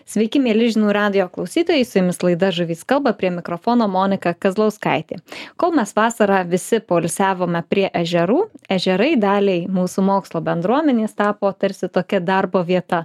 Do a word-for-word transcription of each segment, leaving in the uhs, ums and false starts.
Sveiki, mėly žinių radijo klausytojai, su jumis laida Žuvys kalba, prie mikrofono Monika Kazlauskaitė. Kol mes vasarą visi poilsiavome prie ežerų, ežerai daliai mūsų mokslo bendruomenės tapo tarsi tokia darbo vieta.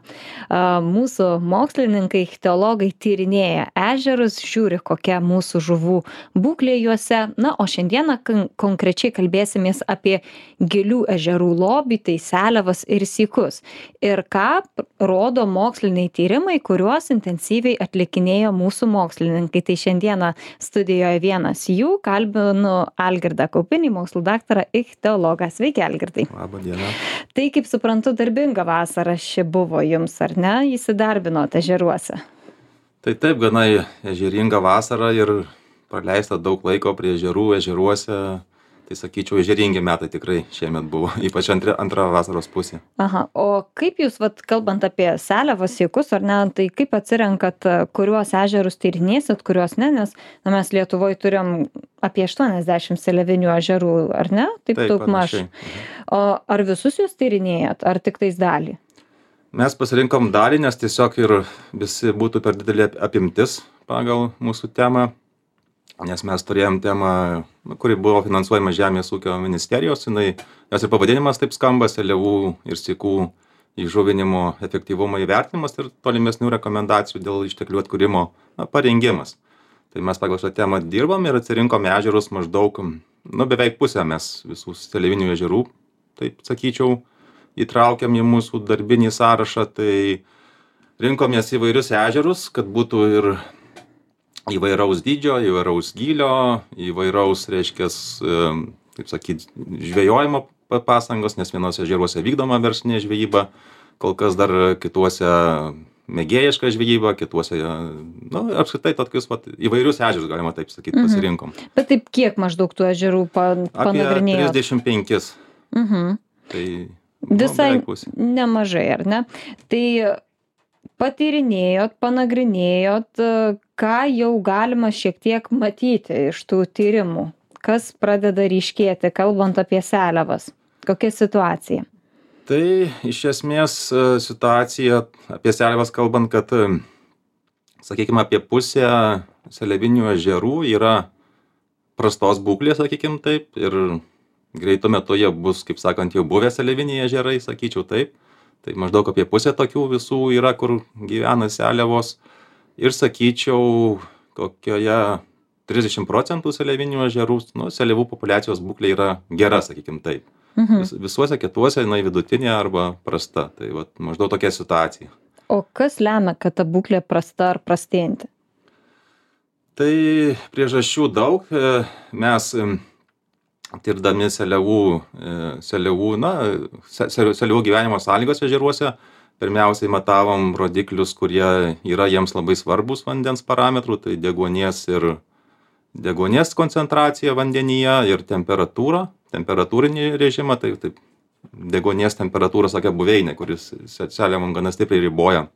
Mūsų mokslininkai, ichtiologai tyrinėja ežerus, žiūri, kokia mūsų žuvų būklė juose. Na, o šiandieną konkrečiai kalbėsimės apie gilių ežerų lobį, tai seliavas ir sykus. Ir ką rodo moksliniai tyrimai, kuriuos intensyviai atlikinėjo mūsų mokslininkai. Tai šiandieną studijoje vienas jų, kalbinu Algirdą Kaupinį, mokslų daktarą, ichtiologą. Sveiki, Algirdai. Labą dieną. Tai, kaip suprantu, darbinga vasara ši buvo jums, ar ne? Įsidarbinote ežeruose. Tai taip, gana ežeringa vasara ir praleista daug laiko prie ežerų, ežeruose. Tai sakyčiau, ežeringi metai tikrai šiemet buvo, ypač antra, antra vasaros pusė. Aha, o kaip jūs, vat, kalbant apie seliavas, sykus, ar ne, tai kaip atsirenkat, kuriuos ežerus tyrinėsit, kuriuos ne, nes na, mes Lietuvoje turim apie aštuoniasdešimt seliavinių ežerų, ar ne? Taip, Taip daug maž. O ar visus jūs tyrinėjat, ar tik tais dalį? Mes pasirinkom dalį, nes tiesiog ir visi būtų per didelė apimtis pagal mūsų temą. Nes mes turėjom temą, kuri buvo finansuojama Žemės ūkio ministerijos, jinai, jos ir pavadinimas taip skamba, seliavų ir sykų įžuvinimo efektyvumo įvertinimas ir tolimesnių rekomendacijų dėl išteklių atkūrimo na, parengimas. Tai mes pagal šią temą dirbam ir atsirinkom ežerus maždaug, nu beveik pusę mes visų seliavinių ežerų, taip sakyčiau, įtraukiam į mūsų darbinį sąrašą, tai rinkomės įvairius ežerus, kad būtų ir įvairaus dydžio, įvairaus gylio, įvairaus, reiškias, kaip sakyt, žvejojimo pastangos, nes vienose ežeruose vykdoma verslinė žvejyba, kol kas dar kituose mėgėjiška žvejyba, kituose, nu, apskritai tokius vat, įvairius ežerus, galima taip sakyti, pasirinkom. Mhm. Bet taip kiek maždaug tų ežerų pa, panagrinėjot? Apie trisdešimt penkis. Mhm. Tai visai nu, nemažai, ar ne? Tai patyrinėjot, panagrinėjot, ką jau galima šiek tiek matyti iš tų tyrimų, kas pradeda ryškėti, kalbant apie seliavas, kokia situacija? Tai iš esmės situacija apie seliavas kalbant, kad, sakykime, apie pusę seliavinių ežerų yra prastos būklės, sakykime taip, ir greitu metu jie bus, kaip sakant, jau buvę seliaviniai ežerai, sakyčiau taip. Tai maždaug apie pusę tokių visų yra, kur gyvena seliavos. Ir sakyčiau, kokioje trisdešimt procentų seliavinių ežerų, nu, seliavų populiacijos būklė yra gera, sakykim taip. Mhm. Vis, visuose kituose jinai vidutinė arba prasta. Tai vat, maždaug tokia situacija. O kas lemia, kad ta būklė prasta ar prastėjanti? Tai priežasčių daug. Mes tirdami seliavų, seliavų, na, seliavų gyvenimo sąlygos ežeruose, pirmiausiai matavom rodiklius, kurie yra jiems labai svarbus vandens parametrų, tai deguonies ir deguonies koncentracija vandenyje ir temperatūra, temperatūrinį režimą, tai taip, deguonies temperatūra, tokia buveinė, kuris seliavom gana stipriai riboja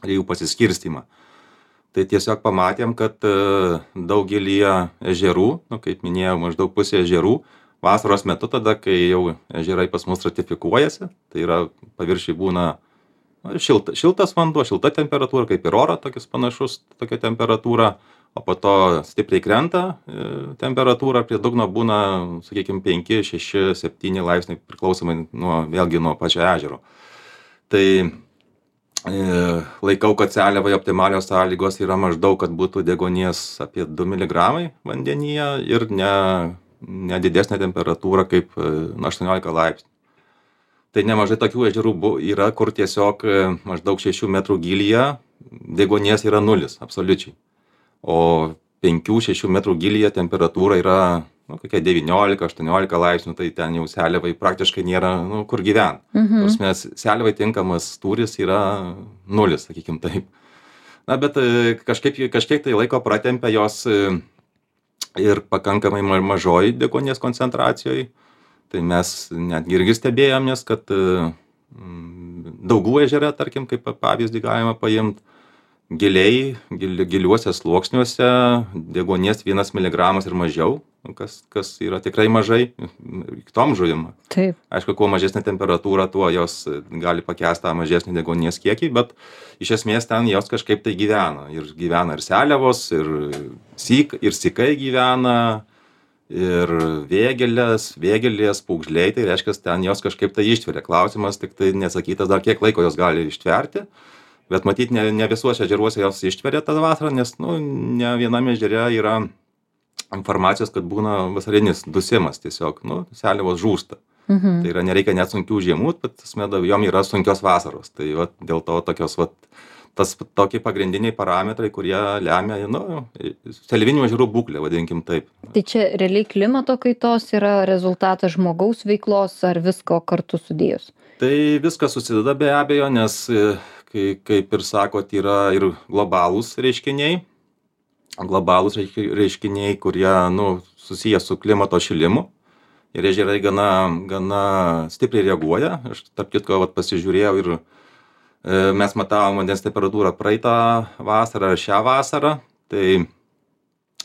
jų pasiskirstymą. Tai tiesiog pamatėm, kad daugelyje ežerų, nu, kaip minėjau, maždaug pusė ežerų, vasaros metu tada, kai jau ežerai pas mus ratifikuojasi, tai yra paviršiai būna šilta, šiltas vanduo, šilta temperatūra, kaip ir oro, tokius panašus, tokia temperatūra, o po to stipriai krenta temperatūra, prie dugno būna, sakykime, penki, šeši, septyni laipsniai priklausomai nuo, vėlgi nuo pačio ežero. Tai laikau, kad seliavai optimalios sąlygos yra maždaug, kad būtų deguonies apie du miligramai vandenyje ir ne, ne didesnė temperatūra kaip aštuoniolika laipsnių. Tai nemažai tokių ežerų yra, kur tiesiog maždaug šešių metrų gylyje deguonies yra nulis, absoliučiai. O penkių šešių metrų gylyje temperatūra yra nu, kokia devyniolika aštuoniolika laipsnių, tai ten jau seliavai praktiškai nėra, nu, kur gyvent. Mhm. Nors mes seliavai tinkamas tūris yra nulis, sakykim taip. Na, bet kažkaip, kažkiek tai laiko pratempia jos ir pakankamai mažoj deguonies koncentracijoj. Tai mes netgi irgi stebėjomės, kad Daugų ežere, tarkim, kaip pavyzdį galima paimti, giliai, gili, giliuose sluoksniuose deguonies vienas miligramas ir mažiau, kas, kas yra tikrai mažai kitom žuvim. Taip. Aišku, kuo mažesnė temperatūra, tuo jos gali pakęsti tą mažesnį deguonies kiekį, bet iš esmės ten jos kažkaip tai gyvena. Ir gyvena ir seliavos, ir, syk, ir sykai gyvena, ir vėgelės, vėgelės, pūgžliai, tai reiškia, ten jos kažkaip tai ištveria. Klausimas tik tai nesakytas dar kiek laiko jos gali ištverti, bet matyt, ne, ne visuose ežeruose jos ištveria tą vasarą, nes nu, ne viename ežere yra informacijos, kad būna vasarinis dusimas tiesiog, nu, seliavos žūsta. Mhm. Tai yra, nereikia net sunkių žiemų, bet smeda, jom yra sunkios vasaros. Tai va, dėl to tokios, va, tas tokie pagrindiniai parametrai, kurie lemia, nu, seliavinių ežerų būklę, vadinkim taip. Tai čia realiai klimato kaitos yra rezultatas žmogaus veiklos ar visko kartu sudėjus? Tai viskas susideda be abejo, nes, kai, kaip ir sakot, yra ir globalūs reiškiniai, globalūs reiškiniai, kurie, nu, susiję su klimato šilimu. Ir ežerai gana, gana stipriai reaguoja. Aš, tarp kitko, vat, pasižiūrėjau ir e, mes matavom vandens temperatūrą praeitą vasarą ir šią vasarą. Tai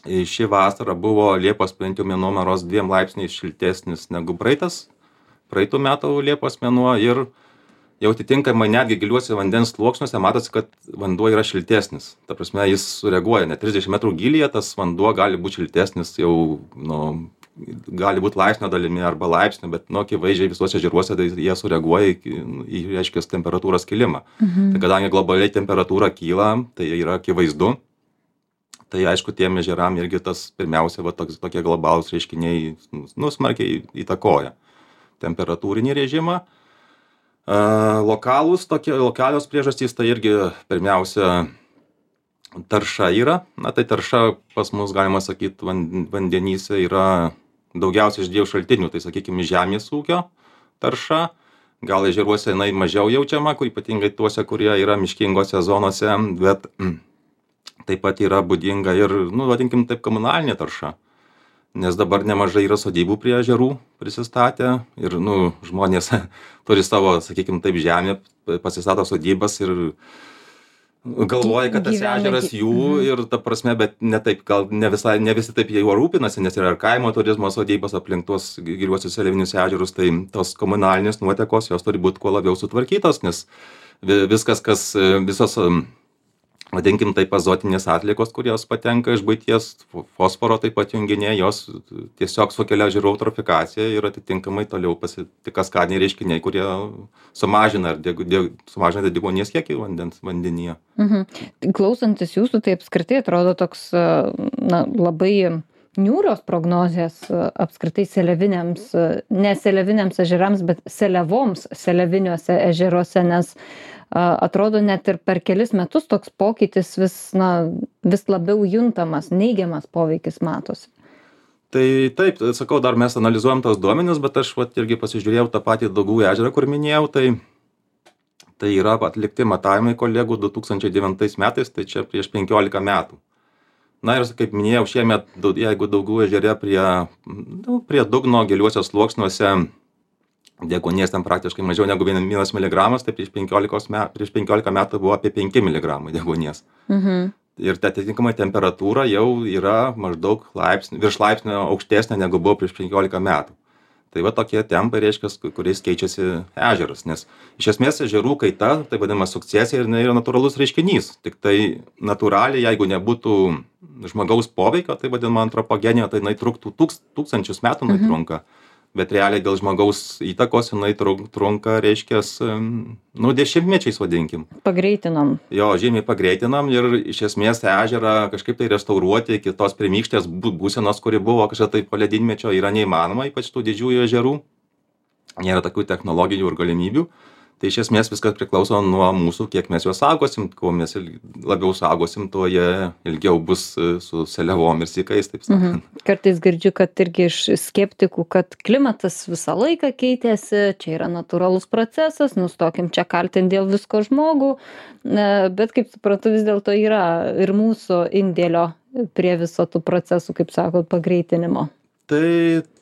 ši vasara buvo Liepos bent jau mėnuo maros dviem laipsniais šiltesnis negu praeitas, praeitų metų Liepos mėnuo. Ir jau atitinkamai netgi giliuose vandens sluoksniuose matosi, kad vanduo yra šiltesnis. Ta prasme, jis sureaguoja. Net trisdešimt metrų gylyje tas vanduo gali būti šiltesnis jau, nu, gali būti laipsnio dalimi arba laipsnio, bet nu, akivaizdžiai visuose ežeruose tai jie sureaguoja į, į reiškia, temperatūros kilimą. Mhm. Tai kadangi globaliai temperatūra kyla, tai yra akivaizdu. Tai aišku, tiem ežeram irgi tas pirmiausia, va, toks, tokie globalūs reiškiniai nu, smarkiai įtakoja temperatūrinį režimą. Uh, lokalūs, tokie, lokalios priežastys, tai irgi pirmiausia tarša yra. Na tai tarša pas mus, galima sakyti, vandenyse yra daugiausiai iš dviejų šaltinių, tai sakykime žemės ūkio tarša, gal ežeruose jinai mažiau jaučiama, kur ypatingai tuose, kurie yra miškingose zonose, bet mm, taip pat yra būdinga ir, nu, vadinkim taip, komunalinė tarša, nes dabar nemažai yra sodybų prie ežerų prisistatę ir, nu, žmonės turi savo, sakykime taip, žemę, pasistato sodybas ir galvoja, kad tas ežeras jų ir ta prasme, bet ne taip, gal ne visai, ne visi taip jau rūpinasi, nes yra ir kaimo turizmo sodybos aplink tuos giliuosius seliavinius ežerus, tai tos komunalinės nuotekos, jos turi būti kuo labiau sutvarkytos, nes viskas, kas, visos, vadinkim taip, azotinės atliekos, kurios patenka iš buities, fosforo taip pat junginiai, jos tiesiog sukelia ežerų eutrofikaciją ir atitinkamai toliau pasitik kaskadiniai reiškiniai, kurie sumažina, deg, deg, sumažina deguonies kiekį vandens vandenyje. Mhm. Klausantis jūsų, tai apskritai atrodo toks na, labai niūrios prognozės apskritai seliaviniams, ne seliaviniams ežerams, bet seliavoms seliaviniuose ežeruose, nes atrodo net ir per kelis metus toks pokytis vis, na, vis labiau juntamas, neigiamas poveikis matosi. Tai taip, sakau, dar mes analizuojam tos duomenis, bet aš vat, irgi pasižiūrėjau tą patį Daugų ežerą, kur minėjau, tai, tai yra atlikti matavimai kolegų du tūkstančiai devintais metais, tai čia prieš penkiolika metų. Na ir kaip minėjau, šiemet, jeigu Daugų ežere prie, nu, prie dugno giliuose sluoksniuose deguonies ten praktiškai mažiau negu vienas miligramas, tai prieš penkiolika metų, prieš penkiolika metų buvo apie penki miligramai deguonies. Mhm. Ir atitinkamai temperatūra jau yra maždaug laipsnį, virš laipsnio aukštesnė negu buvo prieš penkiolika metų. Tai va tokie tempai reiškia, kuriais keičiasi ežeras, nes iš esmės ežerų kaita, tai vadinama sukcesija, ir jinai yra natūralus reiškinys. Tik tai natūraliai, jeigu nebūtų žmogaus poveikio, tai vadinama antropogenija, tai jinai truktų tūks, tūkstančius metų, jinai mhm. trunka. Bet realiai dėl žmogaus įtakos jinai trunka, reiškia, nu, dešimtmečiais vadinkim. Pagreitinom. Jo, žymiai pagreitinam ir iš esmės ežerą kažkaip tai restauruoti iki tos pirmykštės būsenos, kuri buvo kažkada tai po ledynmečio, yra neįmanoma, ypač tų didžiųjų ežerų. Nėra tokių technologijų ir galimybių. Tai iš esmės viskas priklauso nuo mūsų, kiek mes juos saugosim, kuo mes labiau saugosim, tuo jie ilgiau bus su seliavom ir sykais, taip sakant. Mhm. Kartais girdžiu, kad irgi iš skeptikų, kad klimatas visą laiką keitėsi, čia yra natūralus procesas, nustokim čia kaltinti dėl visko žmogų, bet kaip suprantu, vis dėlto yra ir mūsų indėlio prie viso tų procesų, kaip sakot, pagreitinimo. Tai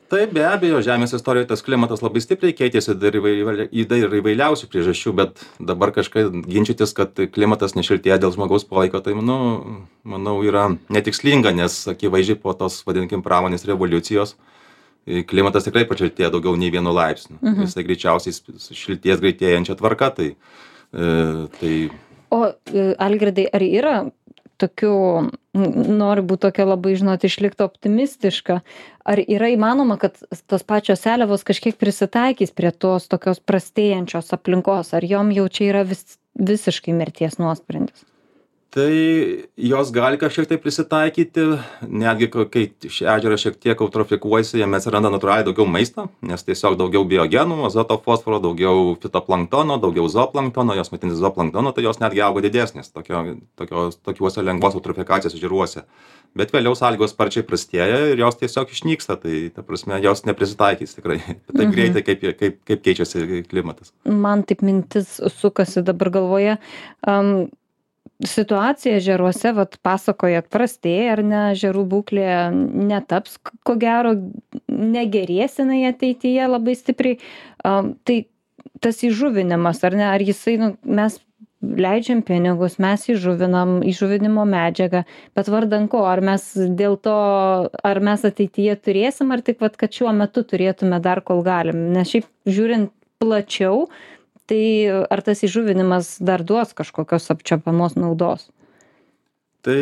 Taip, be abejo, Žemės istorijoje tas klimatas labai stipriai keitėsi dar įvairiai- į dar įvairiausių priežasčių, bet dabar kažkaip ginčytis, kad klimatas nešiltėja dėl žmogaus poveikio, tai manau, manau yra netikslinga, nes akivaizdžiai po tos, vadinkim, pramonės revoliucijos e, klimatas tikrai pašiltėjo daugiau nei vienu laipsniu. Mhm. Jisai greičiausiai s- šilties greitėjančia tvarka, tai, e, tai O e, Algirdai, ar yra tokių, n- noriu būti tokia labai, žinot, išlikti optimistiška, ar yra įmanoma, kad tos pačios seliavos kažkiek prisitaikys prie tos tokios prastėjančios aplinkos, ar jom jau čia yra vis, visiškai mirties nuosprendis? Tai jos gali kažkiek tai prisitaikyti, netgi ko- kai ši ežeras šiek tiek eutrofikuojasi, jame atsiranda natūraliai daugiau maisto, nes tiesiog daugiau biogenų, azoto, fosforo, daugiau fitoplanktono, daugiau zooplanktono, jos maitinasi zooplanktono, tai jos netgi auga didesnės tokio, tokios, tokiuose lengvos eutrofikacijos ežeruose. Bet vėliau sąlygos sparčiai prastėja ir jos tiesiog išnyksta, tai ta prasme jos neprisitaikys tikrai taip Mhm. greitai, kaip, kaip, kaip keičiasi klimatas. Man taip mintis sukasi dabar galvoje. Um, situacija ežeruose, vat pasakojat, prastėja ar ne, ežerų būklė netaps, k- ko gero, negerės jinai ateityje labai stipriai. Um, tai tas įžuvinimas, ar ne, ar jisai, nu, mes leidžiam pinigus, mes įžuvinam, įžuvinimo medžiagą, bet vardan ko, ar mes dėl to, ar mes ateityje turėsim, ar tik, vat, kad šiuo metu turėtume dar kol galim, nes šiaip žiūrint plačiau, tai ar tas įžuvinimas dar duos kažkokios apčiuopiamos naudos? Tai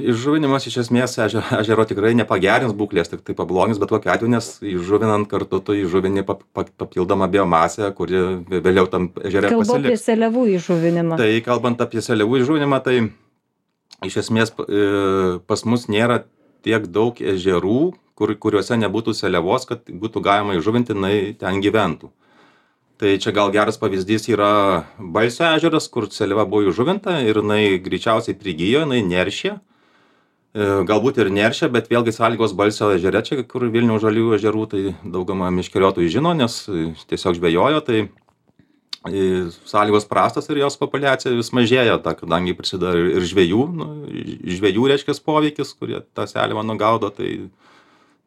įžuvinimas iš esmės eže- ežero tikrai nepagerins būklės, tik tai pablogins, bet kokiu atveju, nes įžuvinant kartu tu įžuvini pap, pap, papildomą biomasę, kuri vė- vėliau tam ežere Kalbu apie pasiliks. seliavų įžuvinimą. Tai kalbant apie seliavų įžuvinimą, tai iš esmės p- e, pas mus nėra tiek daug ežerų, kur, kuriuose nebūtų seliavos, kad būtų galima įžuvinti, jinai ten gyventų. Tai čia gal geras pavyzdys yra Balsio ežeras, kur seliava buvo įžuvinta ir jinai greičiausiai prigijo, jinai neršė. E, Galbūt ir neršė, bet vėlgi sąlygos Balsio ežere, čia kur Vilniaus žaliųjų ežerų, tai daugama miškeriotojų žino, nes e, tiesiog žvejojo, tai e, sąlygos prastos ir jos populiacija vis mažėja, ta, kadangi prisideda ir ir žvejų, nu, žvejų reiškia poveikis, kurie tą seliavą nugaudo, tai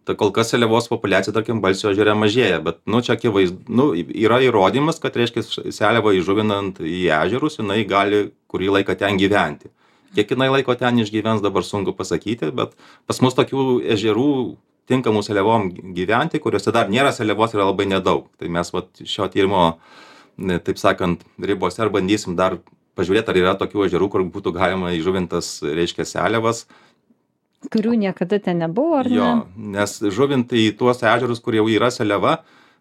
tai kol kas seliavos populiacija, tarkim, Balsio ežere mažėja, bet, nu, čia akivaizdu, nu, yra įrodymas, kad, reiškia, seliavą įžuvinant į ežerus, jinai gali kurį laiką ten gyventi. Kiek jinai laiko ten išgyvens, dabar sunku pasakyti, bet pas mus tokių ežerų tinkamų seliavom gyventi, kuriuose dar nėra seliavos, yra labai nedaug. Tai mes vat, šio tyrimo, ne, taip sakant, ribose ar bandysim dar pažiūrėti, ar yra tokių ežerų, kur būtų galima įžuvintas, reiškia, seliavas. Kurių niekada ten nebuvo, ar Jo, ne? nes žuvint į tuos ežerus, kur jau yra seliava,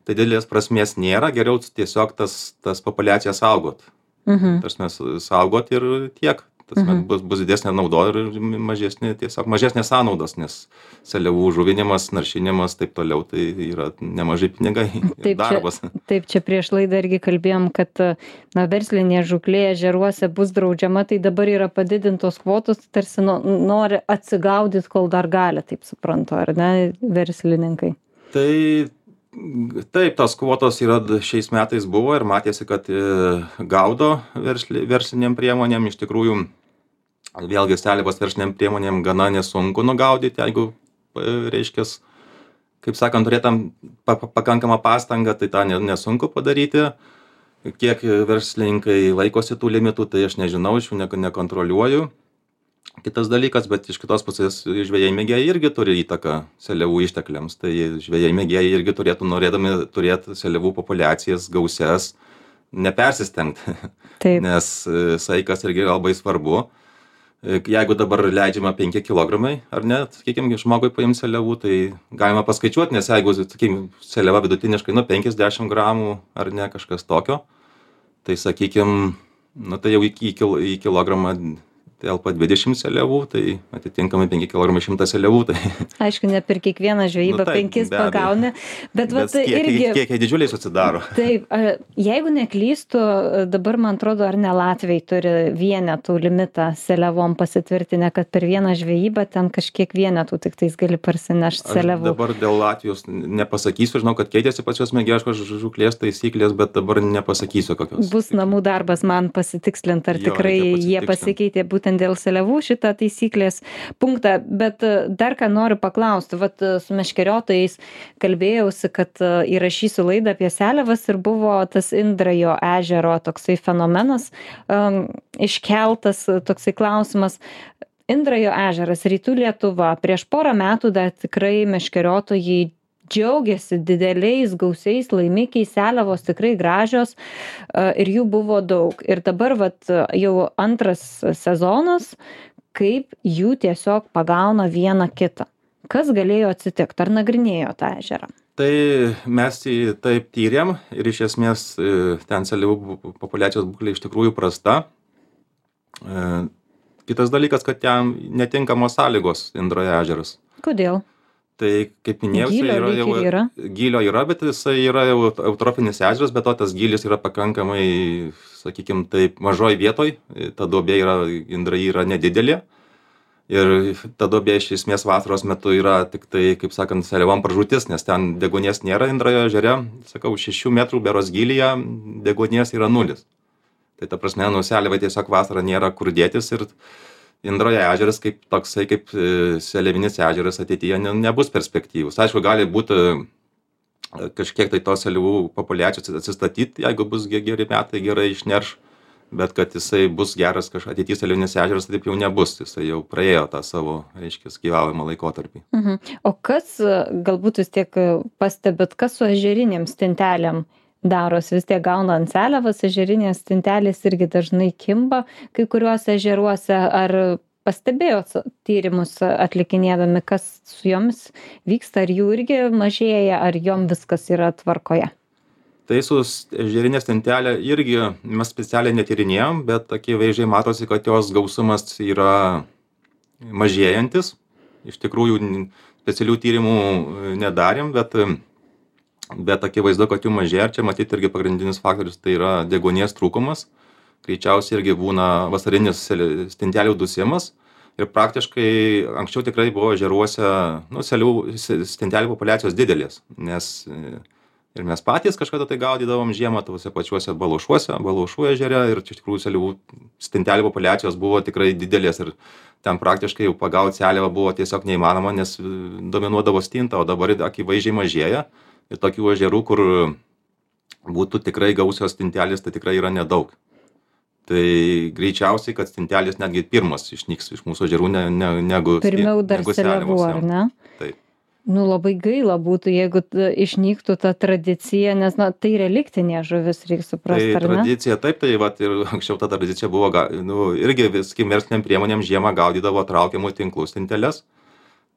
tai didelės prasmės nėra, geriau tiesiog tas, tas populiacijas saugot. Mhm. Tas mes saugot ir tiek. Tas Mhm. bus, bus didesnė nauda ir mažesnė, tiesiog mažesnės sąnaudos, nes seliavų žuvinimas, naršinimas, taip toliau, tai yra nemažai pinigai ir Taip, darbas. čia, taip, čia prieš laidą irgi kalbėjom, kad na, verslinė žuklė ežeruose bus draudžiama, tai dabar yra padidintos kvotos, tarsi no, nori atsigaudyti, kol dar gali, taip suprantu, ar ne, verslininkai. Tai taip, tos kvotos yra d- šiais metais buvo ir matėsi, kad e, gaudo versli, versliniam priemonėm. Iš tikrųjų, vėlgi seliavos versliniam priemonėm gana nesunku nugaudyti, jeigu, e, reiškės, kaip sakant, turėtam pa, pa- pakankamą pastangą, tai tą ne- nesunku padaryti. Kiek verslininkai laikosi tų limitų, tai aš nežinau, iš jų ne, nekontroliuoju. Kitas dalykas, bet iš kitos pusės žvejai mėgėjai irgi turi įtaką seliavų ištekliams. Tai žvejai mėgėjai irgi turėtų, norėdami turėti seliavų populiacijas gausias, nepersistengti, Taip. nes e, saikas irgi yra labai svarbu. E, Jeigu dabar leidžiama penki kilogramai, ar ne, sakykime, žmogui paimti seliavų, tai galima paskaičiuoti, nes jeigu, sakykime, seliava vidutiniškai, nu, penkiasdešimt gramų, ar ne, kažkas tokio, tai, sakykime, nu, tai jau į, kil, į kilogramą telpa dvidešimt seliavų, tai atitinkamai penki kilogramai šimtas seliavų. Tai, Aišku, ne per kiekvieną žvejybą Nu, taip, penkis be abejo. pagauni, bet, bet bet irgi... kiekiai, kiekiai didžiuliai susidaro. Taip, a, jeigu neklystu, dabar man atrodo, ar ne Latvijai turi vienetų limitą seliavom pasitvirtinę, kad per vieną žvejybą ten kažkiek vienetų tik tais gali parsinešti Aš seliavų. dabar dėl Latvijos nepasakysiu, žinau, kad keitėsi pačios mėgėjiškos žuklės taisyklės, bet dabar nepasakysiu kokios. Bus namų darbas man pasitikslinti, ar Jo, tikrai reikia jie pasitikslint. pasikeitė būtent būtent dėl seliavų šitą taisyklės punktą, bet dar ką noriu paklausti, vat su meškeriotojais kalbėjausi, kad įrašysiu laidą apie seliavas ir buvo tas Indrajo ežero toksai fenomenas um, iškeltas, toksai klausimas. Indrajo ežeras, Rytų Lietuva, prieš porą metų dar tikrai meškeriotojai džiaugiasi dideliais, gausiais laimikiais, seliavos tikrai gražios ir jų buvo daug. Ir dabar vat, jau antras sezonas, kaip jų tiesiog pagauna vieną kitą. Kas galėjo atsitikti? Ar nagrinėjo tą ežerą? Tai mes jį taip tyrėm ir iš esmės ten seliavų populiacijos būklė iš tikrųjų prasta. Kitas dalykas, kad ten netinkamos sąlygos Indrajo ežeras. Kodėl? Tai, kaip minėjau, Gylio yra, jau, yra. Gylio yra, bet jisai yra jau eutrofinis ežeras, bet to tas gylis yra pakankamai, sakykime, taip, mažoj vietoj. Ta duobė yra, Indraji yra nedidelė. Ir ta duobė iš esmės vasaros metu yra tik tai, kaip sakant, seliavom pražūtis, nes ten deguonies nėra Indrajo ežere. Sakau, šešių metrų beros gylyje deguonies yra nulis. Tai ta prasme, nu, seliavai tiesiog vasarą nėra kur dėtis ir Indrajo ežeras kaip toksai, kaip seliavinis ežeras ateityje ne, nebus perspektyvus. Aišku, gali būti kažkiek tai tos seliavų populiacijos atsistatyti, jeigu bus geri metai, gerai išnerš, bet kad jisai bus geras kažkas ateityje seliavinis ežeras, taip jau nebus. Jisai jau praėjo tą savo, reiškia, gyvavimo laikotarpį. Mhm. O kas, galbūt vis tiek pastebit, kas su ežerinėm stintelėm daros, vis tiek gauna ant seliavas, ežerinės stintelės irgi dažnai kimba kai kuriuose ežeruose. Ar pastebėjot tyrimus atlikinėdami, kas su jomis vyksta, ar jų irgi mažėja, ar jom viskas yra tvarkoje? Tai su ežerinė stintelė irgi mes specialiai netyrinėjom, bet akivaizdžiai matosi, kad jos gausumas yra mažėjantis. Iš tikrųjų specialių tyrimų nedarėm, bet bet akivaizdu, kad jų mažėja. Čia matyti irgi pagrindinis faktorius tai yra deguonies trūkumas. Greičiausiai irgi būna vasarinis stintelių dusimas. Ir praktiškai anksčiau tikrai buvo ežeruose, nu, seliavų stintelių populiacijos didelės. Nes ir mes patys kažkada tai gaudydavom žiemą tuose pačiuose Baluošuose, Baluošų ežere. Ir iš tikrųjų seliavų stintelių populiacijos buvo tikrai didelės. Ir ten praktiškai jau pagauti seliavą buvo tiesiog neįmanoma, nes dominuodavo stinta, o dabar akivaizdžiai mažėja. Ir tokių ežerų, kur būtų tikrai gausios stintelės, tai tikrai yra nedaug. Tai greičiausiai, kad stintelės netgi pirmas išnyks iš mūsų ežerų, ne, ne, negu Pirmiau dar negu seliavų, ar ne? Taip. Nu, labai gaila būtų, jeigu išnyktų ta tradicija, nes, na, tai reliktinė žuvis, reikia suprasti, tai ar ne? Tradicija, taip, tai vat, ir anksčiau ta tradicija buvo, nu, irgi viskim versliniam priemonėm žiemą gaudydavo traukiamų tinklų stinteles.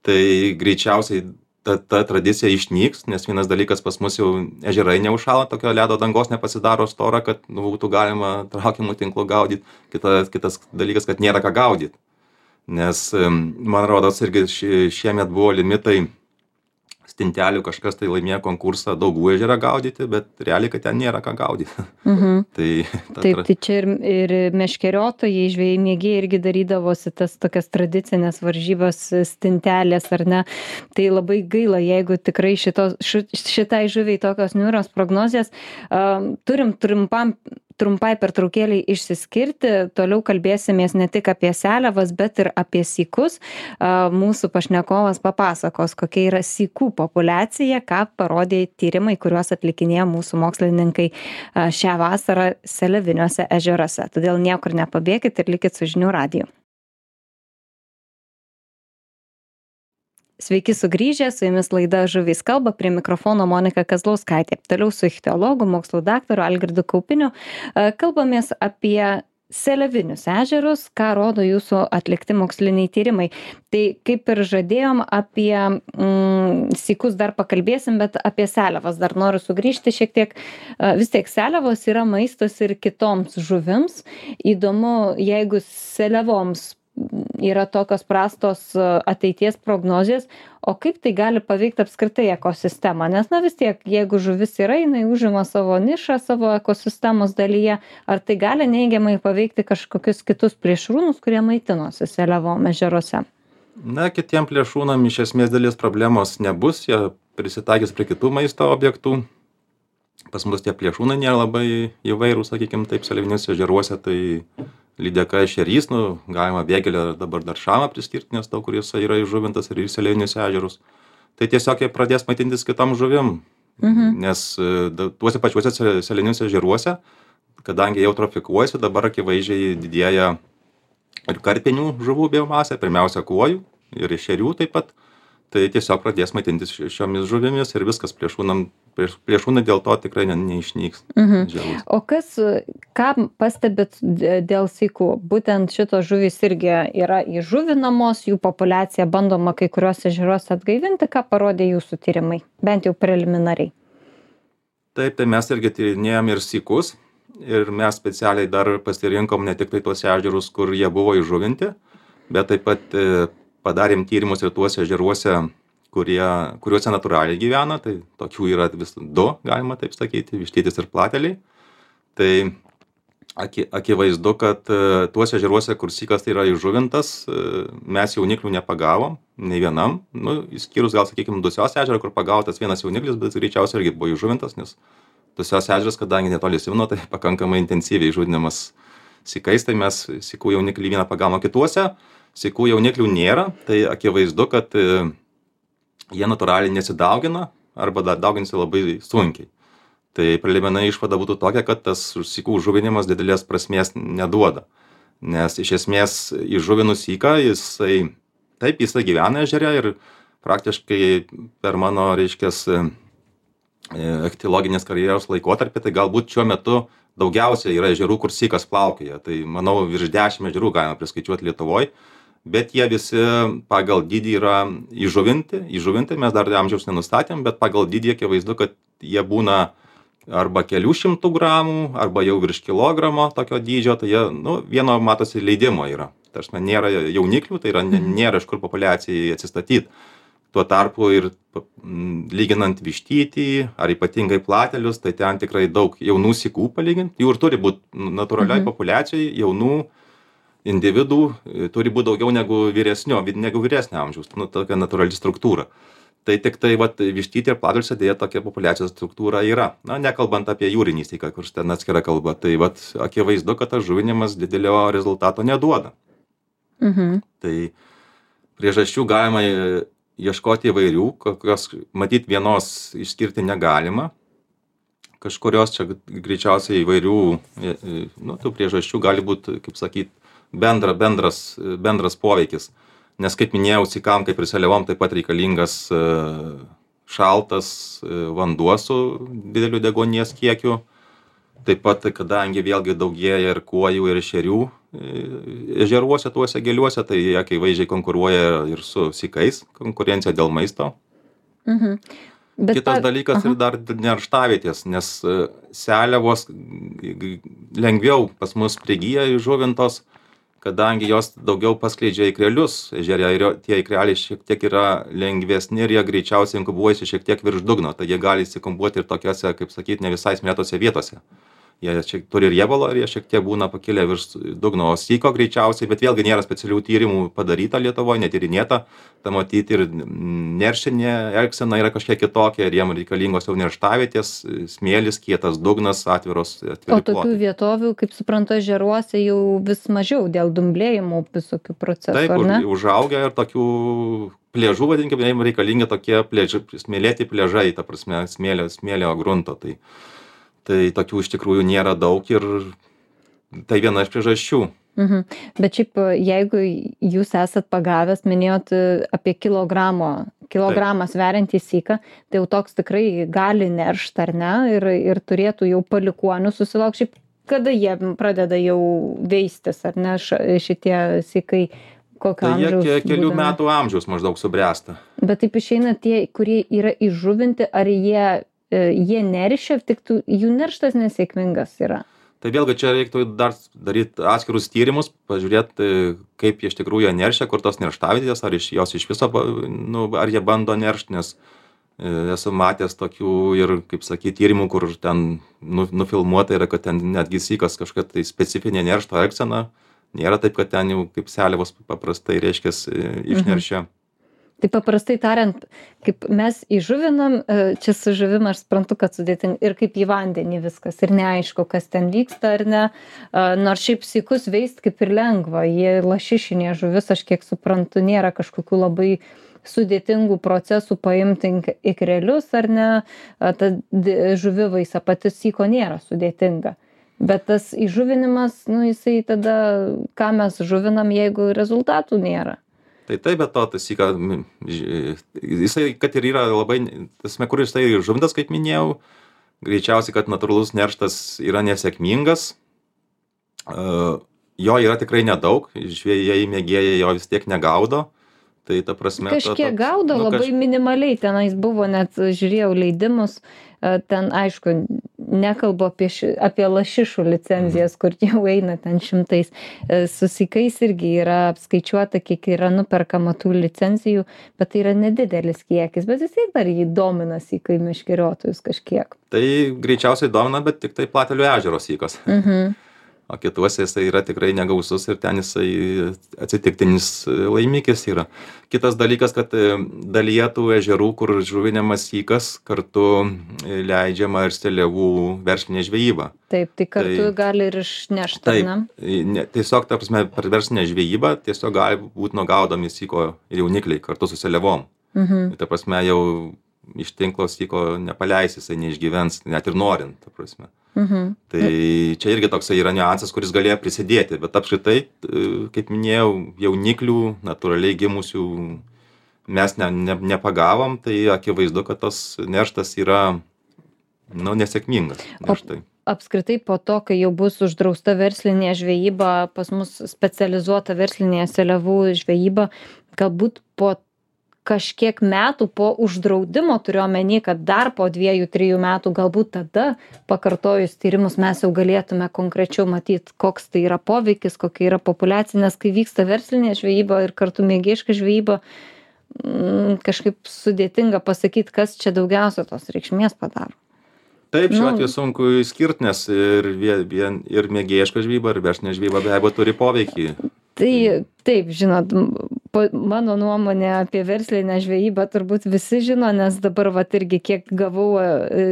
Tai greičiausiai ta, ta tradicija išnyks, nes vienas dalykas pas mus jau ežerai neužšąla, tokio ledo dangos nepasidaro stora, kad nu, būtų galima traukiamų tinklų gaudyti. Kitas, kitas dalykas, kad nėra ką gaudyti. Nes, man rodos, irgi šiemet buvo limitai stintelių, kažkas tai laimėjo konkursą Daugų ežerą gaudyti, bet realiai, kad ten nėra ką gaudyti. Mhm. tai, Taip, tai čia ir, ir meškeriotojai, žvejai mėgėjai irgi darydavosi tas tokias tradicinės varžybos stintelės, ar ne? Tai labai gaila, jeigu tikrai šitos, šitai žuviai tokios niūrios prognozijas. Um, turim trumpam trumpai pertraukėlei išsiskirti, toliau kalbėsimės ne tik apie seliavas, bet ir apie sykus. Mūsų pašnekovas papasakos, kokia yra sykų populiacija, ką parodė tyrimai, kuriuos atlikinėjo mūsų mokslininkai šią vasarą seliaviniuose ežeruose. Todėl niekur nepabėkit ir likit su žinių radiju. Sveiki sugrįžę, su jumis laida Žuvys kalba, prie mikrofono Monika Kazlauskaitė. Toliau su ichtiologu, mokslų daktaru Algirdu Kaupiniu kalbamės apie seliavinius ežerus, ką rodo jūsų atlikti moksliniai tyrimai. Tai kaip ir žadėjom, apie mm, sykus dar pakalbėsim, bet apie seliavas dar noriu sugrįžti šiek tiek. Vis tiek seliavos yra maistas ir kitoms žuvims. Įdomu, jeigu seliavoms yra tokios prastos ateities prognozės, o kaip tai gali paveikti apskritai ekosistemą? Nes, na vis tiek, jeigu žuvis yra, jinai užima savo nišą savo ekosistemos dalyje, ar tai gali neigiamai paveikti kažkokius kitus plėšrūnus, kurie maitinosi seliavom ežeruose? Na, kitiem plėšrūnam iš esmės dalies problemos nebus, jie prisitaikys prie kitų maisto objektų. Pas mus tie plėšrūnai nėra labai įvairūs, sakykime, taip, seliaviniuose ežeruose, tai lydeka, ešerys, nu, galima vėgėlę dabar dar šamą priskirti, nes daug kur jisai yra įžuvintas ir į selėjinius ežerus. Tai tiesiog jie pradės maitintis kitom žuvim, Mhm. nes tuose pačiuose selėjiniuose ežeruose, kadangi jau trofikuojasi, dabar akivaizdžiai didėja ir karpinių žuvų biomasė, pirmiausia kuojų ir ešerių taip pat. Tai tiesiog pradės maitintis šiomis žuvimis ir viskas plėšrūnam, plėšrūnai dėl to tikrai ne, neišnyks. Mhm. O kas, ką pastebit dėl sykų? Būtent šitos žuvys irgi yra įžuvinamos, jų populiacija bandoma kai kuriuos ežeruose atgaivinti, ką parodė jūsų tyrimai, bent jau preliminariai. Taip, tai mes irgi tyrinėjom ir sykus ir mes specialiai dar pasirinkom ne tik tai tuos ežerus, kur jie buvo įžuvinti, bet taip pat padarėm tyrimus ir tuose ežeruose, kurie, kuriuose natūraliai gyvena, tai tokių yra vis du, galima taip sakyti, vištytis ir plateliai. Tai aki, akivaizdu, kad tuose ežeruose, kur sykas yra įžuvintas, mes jauniklių nepagavom, nei vienam, nu, išskyrus gal, sakykime, Dusios ežerą, kur pagautas vienas jauniklis, bet greičiausiai irgi buvo įžuvintas, nes Dusios ežeras, kadangi netoli Simno, tai pakankamai intensyviai žudinamas sykais, tai mes sykų jauniklį vieną pagavom kituose. Sykų jauniklių nėra, tai akivaizdu, kad jie natūraliai nesidaugina arba dauginasi labai sunkiai. Tai preliminari išvada būtų tokia, kad tas sykų žuvinimas didelės prasmės neduoda. Nes iš esmės įžuvinus syką, jisai, taip, jisai gyvena ežere ir praktiškai per mano, reiškias, ichtiologinės karjeros laikotarpį, tai galbūt šiuo metu daugiausiai yra ežerų, kur sykas plaukioja. Tai manau, virš dešimt ežerų galima priskaičiuoti Lietuvoje. Bet jie visi pagal dydį yra įžuvinti, įžuvinti, mes dar amžiaus nenustatėm, bet pagal dydį akivaizdu, kad jie būna arba kelių šimtų gramų, arba jau virš kilogramo tokio dydžio, tai jie, nu, vieno matosi leidimo yra. Tarsi nėra jauniklių, tai yra, nėra iš kur populiacijai atsistatyti. Tuo tarpu ir lyginant vištytį ar ypatingai platelius, tai ten tikrai daug jaunų sykų palyginti, jų ir turi būti natūraliai populiacijai jaunų individų turi būti daugiau negu vyresnio, negu vyresnio amžiaus, nu, tokia natūrali struktūra. Tai tik tai, vat, vištytį ir plateliuose dėja tokia populiacijos struktūra yra. Na, nekalbant apie jūrinį syką, kur ten atskira kalba, tai vat, akivaizdu, kad tas žuvinimas didelio rezultato neduoda. Mhm. Tai priežasčių galima ieškoti įvairių, kokios, matyt, vienos išskirti negalima. Kažkurios čia greičiausiai įvairių, nu, tų priežasčių gali būti, kaip sakyt, Bendra, bendras, bendras poveikis. Nes, kaip minėjau, sykam, kaip ir seliavom, taip pat reikalingas šaltas vanduo su dideliu deguonies kiekiu. Taip pat, kadangi vėlgi daugėja ir kuojų, ir ešerių ežeruose, tuose giliuose, tai jie akivaizdžiai konkuruoja ir su sykais, konkurencija dėl maisto. Mhm. Bet Kitas pa... dalykas Aha. ir dar nerštavietės, nes seliavos lengviau pas mus prigyja įžuvintos, kadangi jos daugiau paskleidžia ikrelius ežere ir tie ikreliai šiek tiek yra lengvesni ir jie greičiausiai inkubuojasi šiek tiek virš dugno, tai jie gali įsikumbuoti ir tokiose, kaip sakyt, ne visai smėtose vietose. Jie šiek, turi riebalo ir jie šiek tiek būna pakilę virš dugno, o syko greičiausiai, bet vėlgi nėra specialių tyrimų padaryta Lietuvoje, netyrinėta, tai matyti ir neršinė elgsena yra kažkiek kitokia ir jiem reikalingos jau nerštavietės, smėlis, kietas dugnas, atviros. O tokių vietovių, kaip suprantu, ežeruose jau vis mažiau dėl dumblėjimų visokių procesų, Taip, ar ne? užaugia ir tokių plėžų, vadinkime, jiem reikalingi tokie plėži, smėlėti plėžai, ta prasme, smėlio, smėlio grunto. Tai, tai tokių iš tikrųjų nėra daug ir tai viena iš priežasčių. Mhm. Bet šiaip, jeigu jūs esat pagavęs, minėjot apie kilogramo, kilogramą sveriantį syką, tai jau toks tikrai gali neršt, ar ne, ir, ir turėtų jau palikuonių susilaukti. Šiaip, kada jie pradeda jau veistis, ar ne, šitie sykai, kokio Tai amžiaus? jie kelių būdami? metų amžiaus maždaug subręsta. Bet taip išeina tie, kurie yra įžuvinti, ar jie, e, jie neršia, tik tų, jų nerštas nesėkmingas yra. Tai vėlgi čia reiktų dar daryti atskirus tyrimus, pažiūrėti, kaip jie iš tikrųjų jie neršia, kur tos nerštavietės, ar iš jos iš viso, nu, ar jie bando neršti, nes e, esu matęs tokių ir, kaip sakyti, tyrimų, kur ten nu, nufilmuota yra, kad ten netgi sykas kažkokia tai specifinė neršto elgsena. Nėra taip, kad ten jau kaip seliavos paprastai reiškia išneršia. Tai paprastai tariant, kaip mes įžuvinam, čia su žuvim aš suprantu, kad sudėtinga ir kaip į vandenį viskas ir neaišku, kas ten vyksta ar ne. Nors šiaip sykus veist kaip ir lengva, jie lašišinė žuvis, aš kiek suprantu, nėra kažkokių labai sudėtingų procesų paimti ikrelius ar ne, ta žuvivaisa pati syko nėra sudėtinga. Bet tas įžuvinimas, nu jisai tada, ką mes žuvinam, jeigu rezultatų nėra. Tai taip, bet to tas syka, jisai, kad ir yra labai, tasme, kur jisai žuvintas, kaip minėjau, greičiausiai, kad natūralus nerštas yra nesėkmingas, jo yra tikrai nedaug, žvejai mėgėjai jo vis tiek negaudo. Tai ta prasme... Kažkiek gaudo, nu, labai kaž... minimaliai, tenais buvo, net žiūrėjau leidimus, ten aišku, nekalbu apie, ši, apie lašišų licenzijas, kur jau eina ten šimtais. Su sykais irgi yra apskaičiuota, kiek yra nuperkama tų licenzijų, bet tai yra nedidelis kiekis, bet vis tiek dar jį domina sykai meškeriotojus kažkiek. Tai greičiausiai domina, bet tik tai Platelių ežero sykas. Mhm. O kituose jisai yra tikrai negausus ir ten jisai atsitiktinis laimikis yra. Kitas dalykas, kad dalyje tų ežerų, kur žuvinamas sykas, kartu leidžiama ir seliavų verslinė žvejyba. Taip, tai kartu tai, gali ir išnešti. Taip, ne, tiesiog, ta prasme, per verslinę žvejybą tiesiog gali būti nugaudomi syko jaunikliai kartu su seliavom. Mhm. Ta prasme, jau iš tinklo syko nepaleis, jisai neišgyvens, net ir norint, ta prasme. Mhm. Tai čia irgi toksai yra niuansas, kuris galėjo prisidėti, bet apskritai, kaip minėjau, jauniklių, natūraliai gimusių mes ne, ne, nepagavom, tai akivaizdu, kad tas nerštas yra, nu, nesėkmingas. Nerštai. O apskritai po to, kai jau bus uždrausta verslinė žvejyba, pas mus specializuota verslinė seliavų žvejyba, galbūt po kažkiek metų po uždraudimo, turiu omeny, kad dar po dviejų, trijų metų, galbūt tada pakartojus tyrimus mes jau galėtume konkrečiau matyti, koks tai yra poveikis, kokia yra populiacija, nes kai vyksta verslinė žvejyba ir kartu mėgėjiška žvejyba, kažkaip sudėtinga pasakyti, kas čia daugiausia tos reikšmės padaro. Taip, šiuo atveju sunku išskirti, nes ir, vien, ir mėgėjiška žvejyba, ir verslinė žvejyba be abejo turi poveikį. Tai taip, žinot, mano nuomonė apie verslinę žvejybą turbūt visi žino, nes dabar vat irgi kiek gavau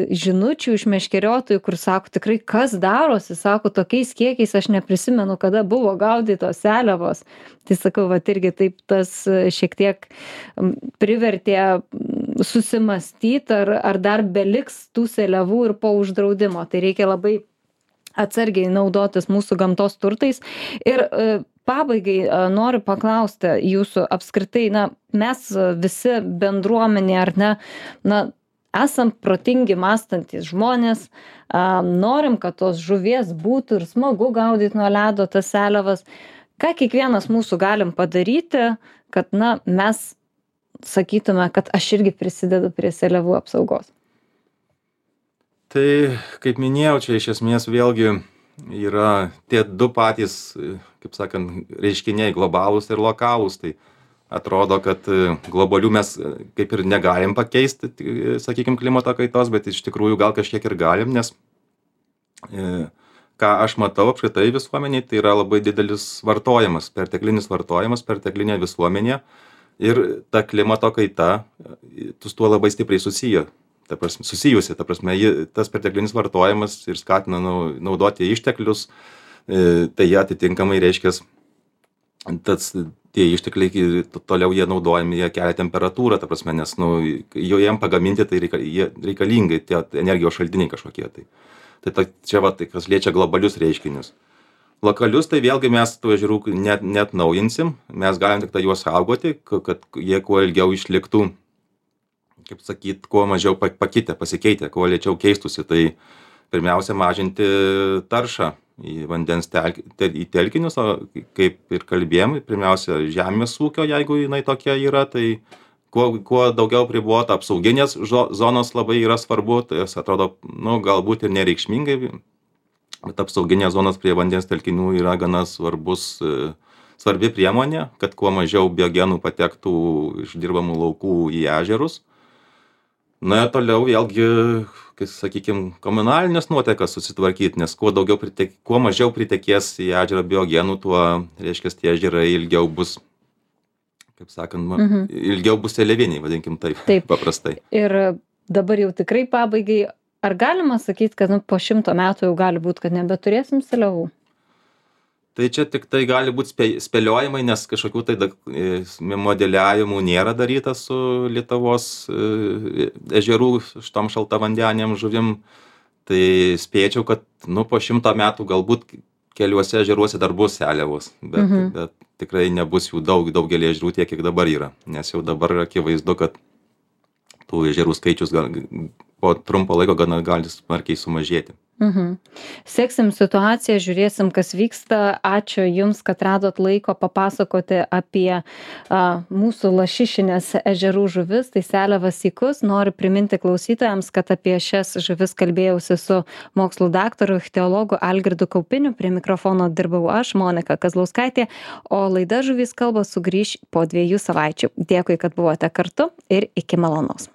žinučių iš meškeriotojų, kur sako, tikrai kas darosi, sako, tokiais kiekiais aš neprisimenu, kada buvo gaudytos seliavos. Tai sakau, vat irgi taip tas šiek tiek privertė susimastyti, ar, ar dar beliks tų seliavų ir po uždraudimo. Tai reikia labai atsargiai naudotis mūsų gamtos turtais. Ir pabaigai noriu paklausti jūsų apskritai, na, mes visi bendruomenė, ar ne, na, esam protingi mąstantys žmonės, norim, kad tos žuvies būtų ir smagu gaudyti nuo ledo tas seliavas. Ką kiekvienas mūsų galim padaryti, kad, na, mes sakytume, kad aš irgi prisidedu prie seliavų apsaugos? Tai, kaip minėjau, čia iš esmės vėlgi yra tie du patys, kaip sakant, reiškiniai globalūs ir lokalūs. Tai atrodo, kad globalių mes kaip ir negalim pakeisti, sakykime, klimato kaitos, bet iš tikrųjų gal kažkiek ir galim, nes ką aš matau apskritai visuomeniai, tai yra labai didelis vartojimas, perteklinis vartojimas, perteklinė visuomenė ir ta klimato kaita su tuo labai stipriai susiję. Ta prasme, susijusi, ta prasme, tas perteklinis vartojimas ir skatina naudoti išteklius, tai jie atitinkamai reiškia, tas, tie ištekliai toliau jie naudojami, jie kelia temperatūrą, ta prasme, nes nu, jo jiem pagaminti tai reikalingai, tie energijos šaltiniai kažkokie. Tai, tai ta, čia va, tai kas liečia globalius reiškinius. Lokalius, tai vėlgi mes tų ežerų net, net naujinsim, mes galim tik tai juos saugoti, kad jie kuo ilgiau išliktų, kaip sakyt, kuo mažiau pakitę, pasikeitę, kuo lėčiau keistųsi, tai pirmiausia mažinti taršą į vandens tel, tel, į telkinius, o kaip ir kalbėjom, pirmiausia žemės ūkio, jeigu jinai tokia yra, tai kuo, kuo daugiau pribota apsauginės zonos labai yra svarbu, tai jas atrodo, nu, galbūt ir nereikšmingai, bet apsauginės zonos prie vandens telkinių yra gana svarbus, svarbi priemonė, kad kuo mažiau biogenų patektų iš dirbamų laukų į ežerus. Na, toliau vėlgi, kai, sakykime, komunalinės nuotekas susitvarkyti, nes kuo, daugiau pritek, kuo mažiau pritekės į ežerą biogenų, tuo, reiškia, tie ežerai ilgiau bus, kaip sakant, mhm. ilgiau bus seliaviniai, vadinkim taip, taip. paprastai. Ir dabar jau tikrai pabaigai, ar galima sakyti, kad nu, po šimto metų jau gali būti, kad nebeturėsim seliavų? Tai čia tik tai gali būti spė, spėliojimai, nes kažkokių tai da, modeliavimų nėra daryta su Lietuvos e, ežerų šitom šaltavandenėm žuvim. Tai spėčiau, kad nu, po šimto metų galbūt keliuose ežeruose dar bus seliavos, bet, mhm. bet tikrai nebus jų daug, daugelį ežerų tiek, kiek dabar yra. Nes jau dabar akivaizdu, kad tų ežerų skaičius gal, po trumpo laiko gana gali smarkiai sumažėti. Mhm. Seksim situaciją, žiūrėsim, kas vyksta. Ačiū Jums, kad radot laiko papasakoti apie a, mūsų lašišinės ežerų žuvis, tai seliavas sykus. Noriu priminti klausytojams, kad apie šias žuvis kalbėjausi su mokslų daktaru, ichtiologu Algirdu Kaupiniu. Prie mikrofono dirbau aš, Monika Kazlauskaitė, o laida Žuvys kalba sugrįš po dviejų savaičių. Dėkui, kad buvote kartu ir iki malonaus.